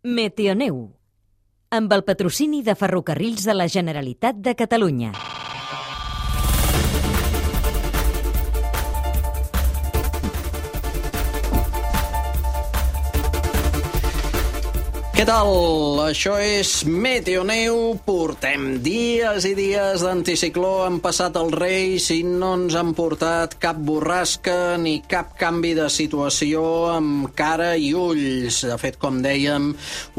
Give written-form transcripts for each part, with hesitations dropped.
Meteoneu, amb el patrocini de Ferrocarrils de la Generalitat de Catalunya. Què tal? Això és Meteoneu. Portem dies i dies d'anticicló. Han passat els Reis i no ens han portat cap borrasca ni cap canvi de situació amb cara i ulls. De fet, com dèiem,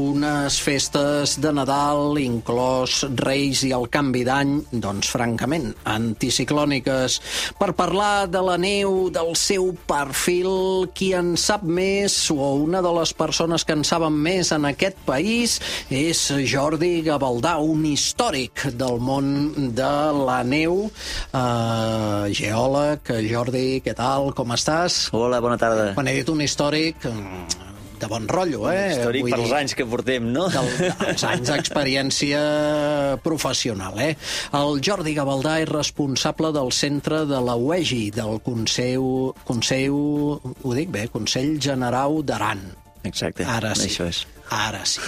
unes festes de Nadal, inclòs Reis i el canvi d'any, doncs, francament, anticiclòniques. Per parlar de la neu, del seu perfil, qui en sap més, o una de les persones que en saben més en aquest país és Jordi Gavaldà, un històric del món de la neu, geòleg. Jordi, què tal? Com estàs? Hola, bona tarda. Quan he dit un històric, de bon rotllo, Històric per als anys que portem, no? Els anys d'experiència professional, El Jordi Gavaldà és responsable del centre de la UEGI, del Consell, ho dic bé, Consell Generau d'Aran. Exacte, Ara sí. Això és. Ara sí.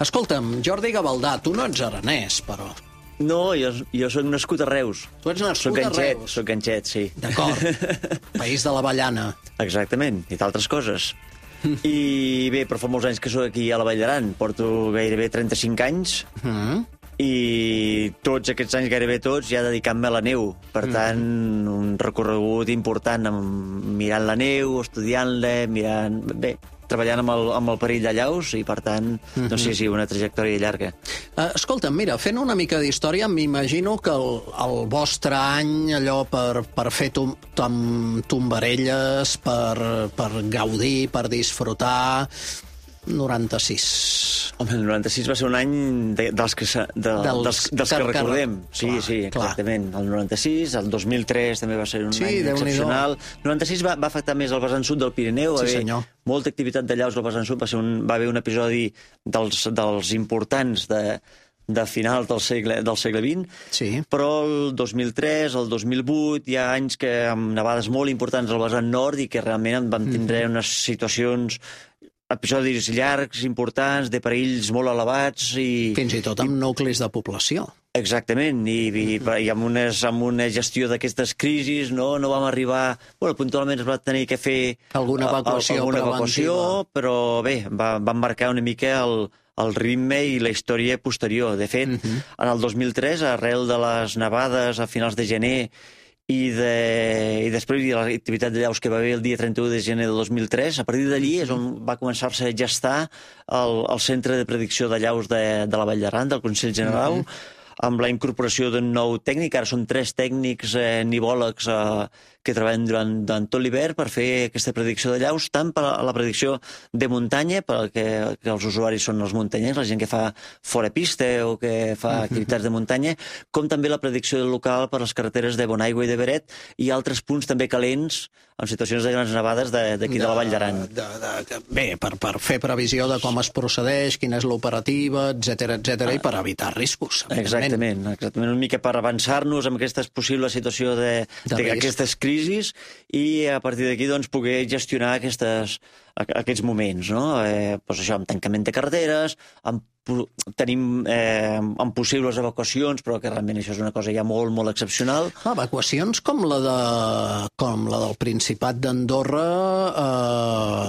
Escolta'm, Jordi Gavaldà, tu no ets aranès, però... No, jo soc nascut a Reus. Tu ets nascut a Reus? Soc ganxet, sí. D'acord. País de l'avellana. Exactament, i d'altres coses. I bé, però fa molts anys que soc aquí a la Vall d'Aran. Porto gairebé 35 anys. I tots aquests anys, gairebé tots, ja dedicant-me a la neu. Per tant, un recorregut important mirant la neu, estudiant-la, treballant amb el perill de llaus i, per tant, doncs sí, una trajectòria llarga. Escolta'm, mira, fent una mica d'història, m'imagino que el vostre any, allò per fer tombarelles, per gaudir, per disfrutar... 96. Home, el 96 va ser un any dels que recordem. Sí, exactament. El 96, el 2003 també va ser un any excepcional. El 96 va afectar més el vessant sud del Pirineu. Sí, senyor. Molta activitat de llaus al vessant sud. Va haver un episodi dels importants de final del segle XX, sí. Però el 2003, el 2008, hi ha anys amb nevades molt importants al vessant nord i que realment vam tindre unes situacions, episodis llargs, importants, de perills molt elevats i... Fins i tot amb nuclis de població. Exactament, i amb una gestió d'aquestes crisis no vam arribar... puntualment es va tenir que fer alguna evacuació, però bé, va marcar una mica el ritme i la història posterior. De fet, en el 2003, arrel de les nevades a finals de gener i després de l'activitat de llaus que va haver el dia 31 de gener de 2003, a partir d'allí és on va començar-se a gestar el Centre de Predicció de Llaus de la Vall d'Aran, del Consell General, amb la incorporació d'un nou tècnic. Ara són 3 tècnics nivòlegs que treballen durant tot l'hivern per fer aquesta predicció de llaus, tant per a la predicció de muntanya, perquè els usuaris són els muntanyencs, la gent que fa fora pista o que fa activitats de muntanya, com també la predicció local per les carreteres de Bonaigua i de Beret i altres punts també calents en situacions de grans nevades d'aquí de la Vall d'Aran. Bé, per fer previsió de com es procedeix, quina és l'operativa, etc, i per evitar riscos. Exactament, una mica per avançar-nos amb aquesta possible situació d'aquestes crisis i a partir d'aquí doncs, poder gestionar aquests moments, no? Doncs això, amb tancament de carreteres, tenim amb possibles evacuacions, però que realment això és una cosa ja molt, molt excepcional. Evacuacions com la del Principat d'Andorra...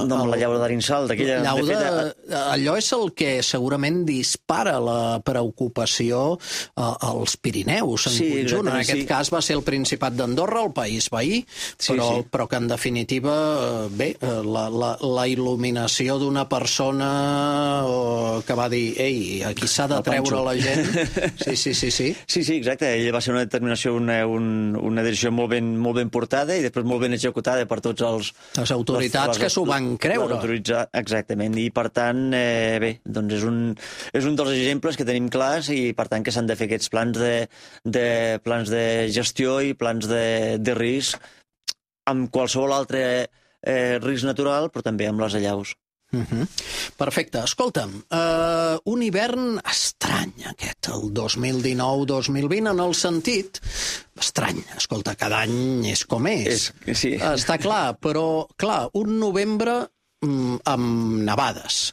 No, amb la llau d'Arinsal, d'aquella... Allò és el que segurament dispara la preocupació als Pirineus en conjunt. En aquest cas va ser el Principat d'Andorra, el país veí, però que en definitiva, bé, la il·luminació d'una persona que va dir aquí s'ha de treure la gent. Sí. Sí, exacte. Ella va ser una determinació, una decisió molt ben portada i després molt ben executada per tots les autoritats que s'ho van creure. Exactament. I per tant, bé, doncs és un dels exemples que tenim clars i per tant que s'han de fer aquests plans de gestió i plans de risc amb qualsevol altre risc natural, però també amb les allaus. Perfecte. Escolta'm, un hivern estrany aquest, el 2019-2020, en el sentit estrany. Escolta, cada any és com és. Sí. Està clar, però, clar, un novembre amb nevades,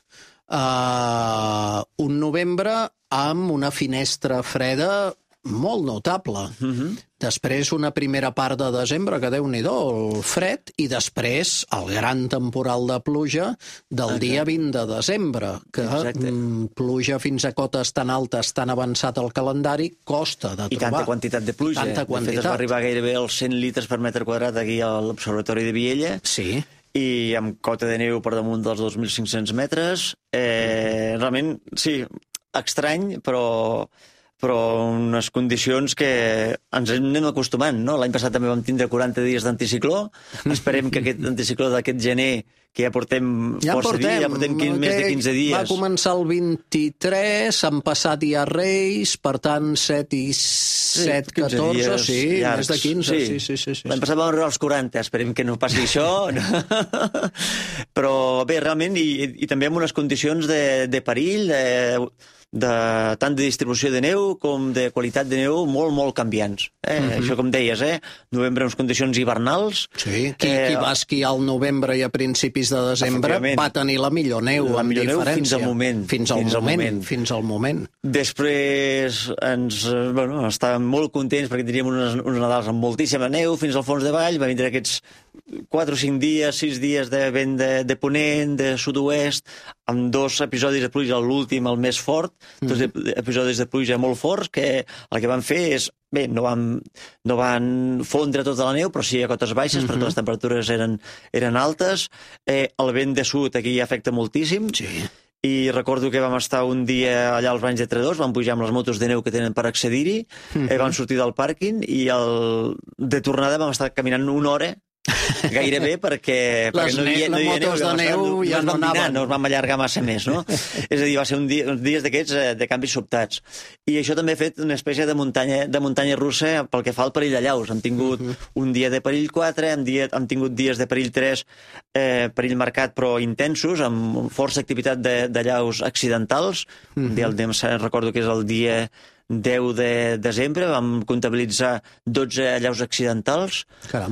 un novembre amb una finestra freda molt notable. Després una primera part de desembre, que Déu-n'hi-do, el fred, i després el gran temporal de pluja del dia 20 de desembre, que pluja fins a cotes tan altes, tan avançat el calendari, costa de trobar. I tanta quantitat de pluja. Tanta quantitat. De fet, es va arribar gairebé als 100 litres per metre quadrat aquí a l'Observatori de Viella. Sí. I amb cota de neu per damunt dels 2.500 metres. Realment, sí, estrany, però unes condicions que ens anem acostumant, no? L'any passat també vam tindre 40 dies d'anticicló. Esperem que aquest anticicló d'aquest gener, que ja portem força dies, ja portem més de 15 dies. Va començar el 23, han passat ja Reis, per tant 7 i 7, 14, sí, més de 15. Sí. L'any passat vam arribar als 40, esperem que no passi això. Però bé, realment, i també amb unes condicions de perill, tant de distribució de neu com de qualitat de neu molt canviants. Això com deies, novembre en condicions hivernals. Sí, qui va esquiar al novembre i a principis de desembre va tenir la millor neu, la millor neu fins al moment. Fins al moment. Després estàvem molt contents perquè teníem uns Nadals amb moltíssima neu fins al fons de vall, va vindre aquests 4 o 5 dies, 6 dies de vent de ponent, de sud-oest, amb 2 episodis de pluja, l'últim, el més fort, 2 episodis de pluja molt forts, que el que van fer és, bé, no van fondre tota la neu, però sí a cotes baixes, perquè les temperatures eren altes. El vent de sud aquí afecta moltíssim. Sí. I recordo que vam estar un dia allà als Banys de Tredors, vam pujar amb les motos de neu que tenen per accedir-hi, vam sortir del pàrquing i de tornada vam estar caminant una hora gairebé perquè les motos de neu ja no anaven. No es vam allargar massa més, no? És a dir, va ser uns dies d'aquests de canvis sobtats. I això també ha fet una espècie de muntanya russa pel que fa al perill de llaus. Hem tingut un dia de perill 4, hem tingut dies de perill 3, perill marcat però intensos, amb força activitat de llaus accidentals. Recordo que és el dia 10 de desembre, vam comptabilitzar 12 allaus accidentals,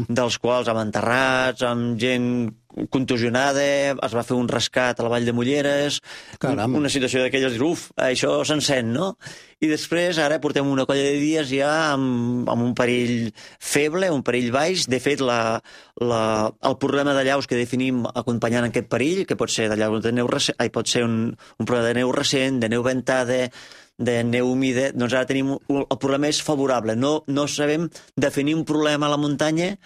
dels quals amb enterrats, amb gent contusionada, es va fer un rescat a la Vall de Molleres, una situació d'aquelles, això s'encén, no? I després, ara portem una colla de dies ja amb un perill feble, un perill baix. De fet, el problema de llaus que definim acompanyant aquest perill, que pot ser de llaus de neu recent, pot ser un problema de neu recent, de neu ventada, de neu humida, doncs ara tenim el problema és favorable. No sabem definir un problema a la muntanya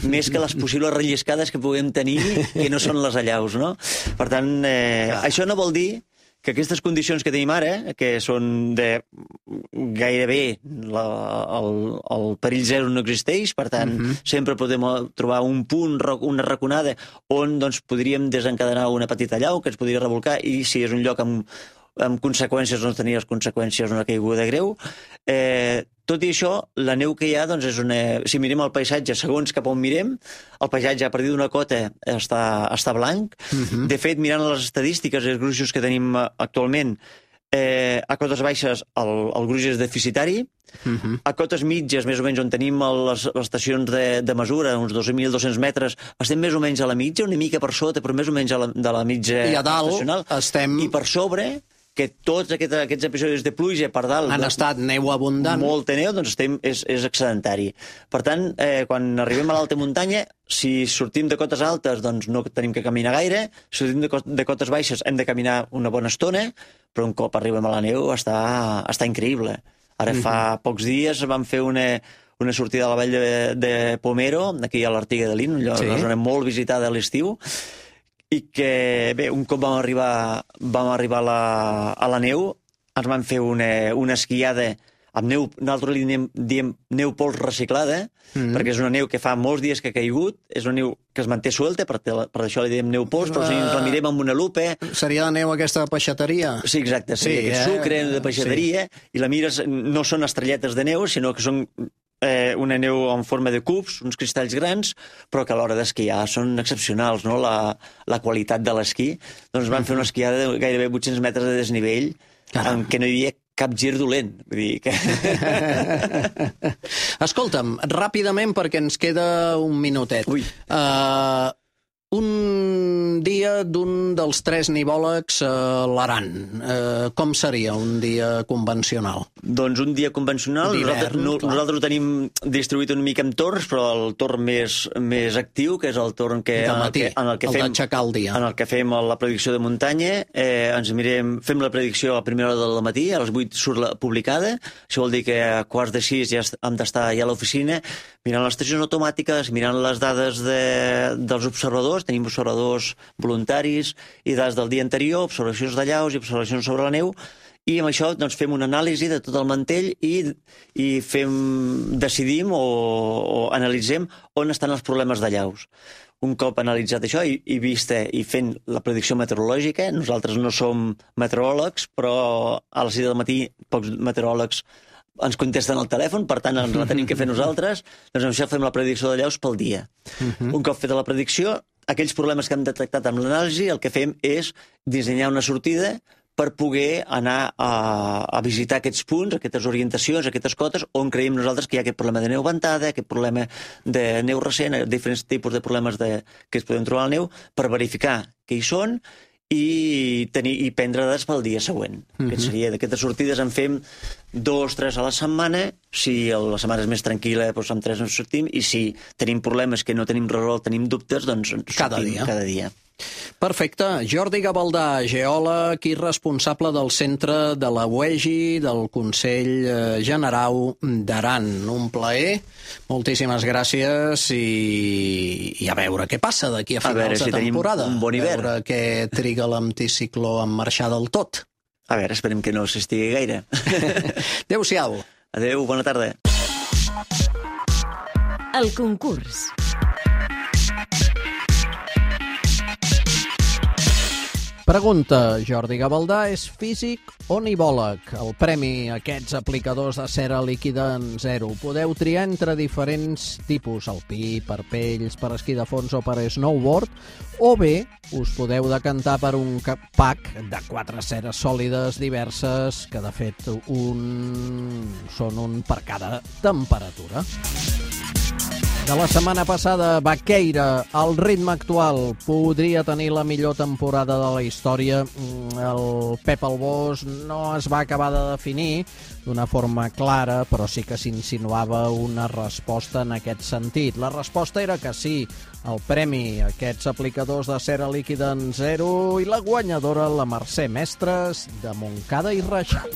més que les possibles relliscades que puguem tenir, que no són les allaus, no? Per tant, això no vol dir que aquestes condicions que tenim ara, que són de gairebé el perill zero no existeix, per tant, sempre podem trobar un punt, una raconada, on podríem desencadenar una petita allau que ens podria revolcar, i si és un lloc amb conseqüències, no tenir les conseqüències d'una caiguda greu. Tot i això, la neu que hi ha, és si mirem el paisatge, segons cap on mirem, el paisatge a partir d'una cota està blanc. De fet, mirant les estadístiques i els gruixos que tenim actualment, a cotes baixes el gruix és deficitari, a cotes mitges, més o menys on tenim les estacions de mesura, uns 2.200 metres, estem més o menys a la mitja, una mica per sota, però més o menys de la mitja estacional. I per sobre, que tots aquests episodis de pluja per dalt han estat neu abundant, molta neu, és excedentari. Per tant, quan arribem a l'alta muntanya, si sortim de cotes altes, no tenim que caminar gaire, si sortim de cotes baixes hem de caminar una bona estona, però un cop arribem a la neu està increïble. Ara fa pocs dies vam fer una sortida a la vall de Pomero, aquí a l'Artiga de Lin, una zona molt visitada a l'estiu, i que, bé, un cop vam arribar a la neu, ens van fer una esquiada amb neu, nosaltres li diem neu pols reciclada, perquè és una neu que fa molts dies que ha caigut, és una neu que es manté suelta, per això li diem neu pols, però si ens la mirem amb una lupa... Seria la neu aquesta de peixateria? Sí, exacte, seria aquest sucre de peixateria, i la mires, no són estrelletes de neu, sinó que són una neu en forma de cubs, uns cristalls grans, però que a l'hora d'esquiar són excepcionals, no? La qualitat de l'esquí. Doncs van fer una esquiada de gairebé 800 metres de desnivell, en què no hi havia cap gir dolent. Vull dir que... Escolta'm, ràpidament, perquè ens queda un minutet. Un dia d'un dels 3 nivòlegs a l'Aran. Com seria un dia convencional? Doncs un dia convencional, nosaltres ho tenim distribuït una mica en torns, però el torn més actiu, que és el torn en el que fem la predicció de muntanya, fem la predicció a primera hora del matí, a les 8 surt publicada, això vol dir que a 5:15 ja hem d'estar ja a l'oficina, mirant les estacions automàtiques, mirant les dades dels observadors, tenim observadors voluntaris i dades del dia anterior, observacions de llaus i observacions sobre la neu, i amb això doncs, fem una anàlisi de tot el mantell i decidim o analitzem on estan els problemes de llaus. Un cop analitzat això i fent la predicció meteorològica, nosaltres no som meteoròlegs, però a les 6 del matí pocs meteoròlegs ens contesten al telèfon, per tant ens la tenim que fer nosaltres, doncs amb això fem la predicció de llaus pel dia. Un cop feta la predicció, aquells problemes que hem detectat amb l'anàlisi, el que fem és dissenyar una sortida per poder anar a visitar aquests punts, aquestes orientacions, aquestes cotes, on creiem nosaltres que hi ha aquest problema de neu ventada, aquest problema de neu recent, diferents tipus de problemes que es poden trobar a la neu, per verificar què hi són i prendre dades pel dia següent. D'aquestes sortides en fem 2-3 a la setmana. Si la setmana és més tranquil·la, doncs amb 3 ens sortim, i si tenim problemes que no tenim resolt, tenim dubtes, doncs cada dia. Perfecte. Jordi Gavaldà, geòleg i responsable del centre de la UEGI del Consell Generau d'Aran. Un plaer. Moltíssimes gràcies i a veure què passa d'aquí a finals de temporada. Un bon hivern. A veure què triga l'anticicló en marxar del tot. A veure, esperem que no s'estigui gaire. Adéu-siau. Adéu, bona tarda. El concurs. Pregunta, Jordi Gavaldà és físic o nivòleg? El premi a aquests aplicadors de cera líquida en zero. Podeu triar entre diferents tipus, alpí, per pells, per esquí de fons o per snowboard, o bé us podeu decantar per un pack de 4 ceres sòlides diverses, que de fet són un per cada temperatura. De la setmana passada, Baqueira, al ritme actual, podria tenir la millor temporada de la història. El Pep Albós no es va acabar de definir d'una forma clara, però sí que s'insinuava una resposta en aquest sentit. La resposta era que sí, el premi a aquests aplicadors de cera líquida en zero, i la guanyadora, la Mercè Mestres, de Montcada i Reixac.